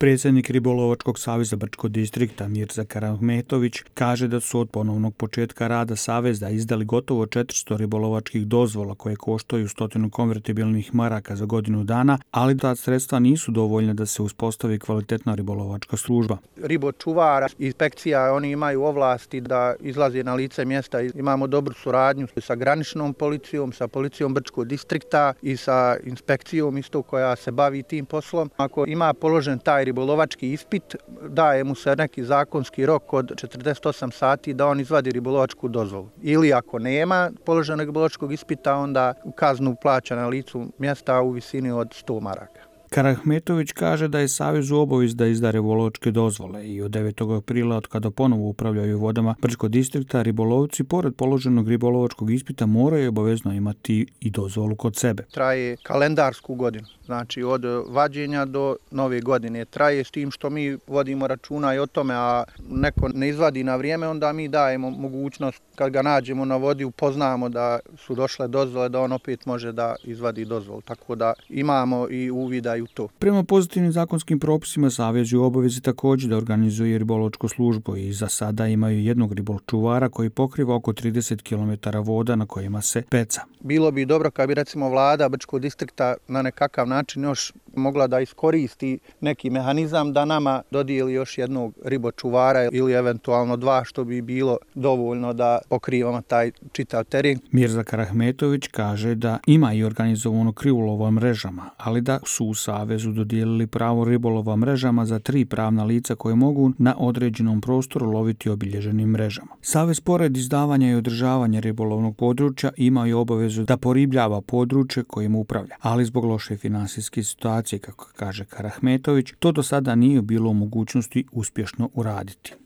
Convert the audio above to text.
Predsjednik Ribolovačkog saveza Brčko distrikta Mirza Karahmetović kaže da su od ponovnog početka rada saveza izdali gotovo 400 ribolovačkih dozvola koje koštaju 100 konvertibilnih maraka za godinu dana, ali ta sredstva nisu dovoljna da se uspostavi kvalitetna ribolovačka služba. Ribočuvara, inspekcija, oni imaju ovlasti da izlaze na lice mjesta. Imamo dobru suradnju sa graničnom policijom, sa policijom Brčkog distrikta i sa inspekcijom isto koja se bavi tim poslom. Ako ima položen taj ribolovački ispit, daje mu se neki zakonski rok od 48 sati da on izvadi ribolovačku dozvolu. Ili ako nema položenog ribolovačkog ispita, onda kaznu plaća na licu mjesta u visini od 100 maraka. Karahmetović kaže da je savez u obavezi da izda ribolovačke dozvole i od 9. aprila, od kada ponovo upravljaju vodama Brčkog distrikta, ribolovci pored položenog ribolovačkog ispita moraju obavezno imati i dozvolu kod sebe. Traje kalendarsku godinu, znači od vađenja do nove godine. Traje s tim što mi vodimo računa i o tome, a neko ne izvadi na vrijeme, onda mi dajemo mogućnost kad ga nađemo na vodi, upoznamo da su došle dozvole, da on opet može da izvadi dozvolu. Tako da imamo i uvida i u to. Prema pozitivnim zakonskim propisima, savez je u obavezi također da organizuje ribolovačku službu i za sada imaju jednog ribočuvara koji pokriva oko 30 km voda na kojima se peca. Bilo bi dobro kad bi recimo vlada Brčkog distrikta na nekakav način još mogla da iskoristi neki mehanizam da nama dodijeli još jednog ribočuvara ili eventualno dva, što bi bilo dovoljno da pokrivamo taj čitav teren. Mirza Karahmetović kaže da ima i organizovano krivolova mrežama, ali da su u savezu dodijelili pravo ribolova mrežama za 3 pravna lica koje mogu na određenom prostoru loviti obilježenim mrežama. Savez pored izdavanja i održavanja ribolovnog područja ima i obavezu da poribljava područje kojim upravlja, ali zbog loše finansijske situacije, kako kaže Karahmetović, to do sada nije bilo u mogućnosti uspješno uraditi.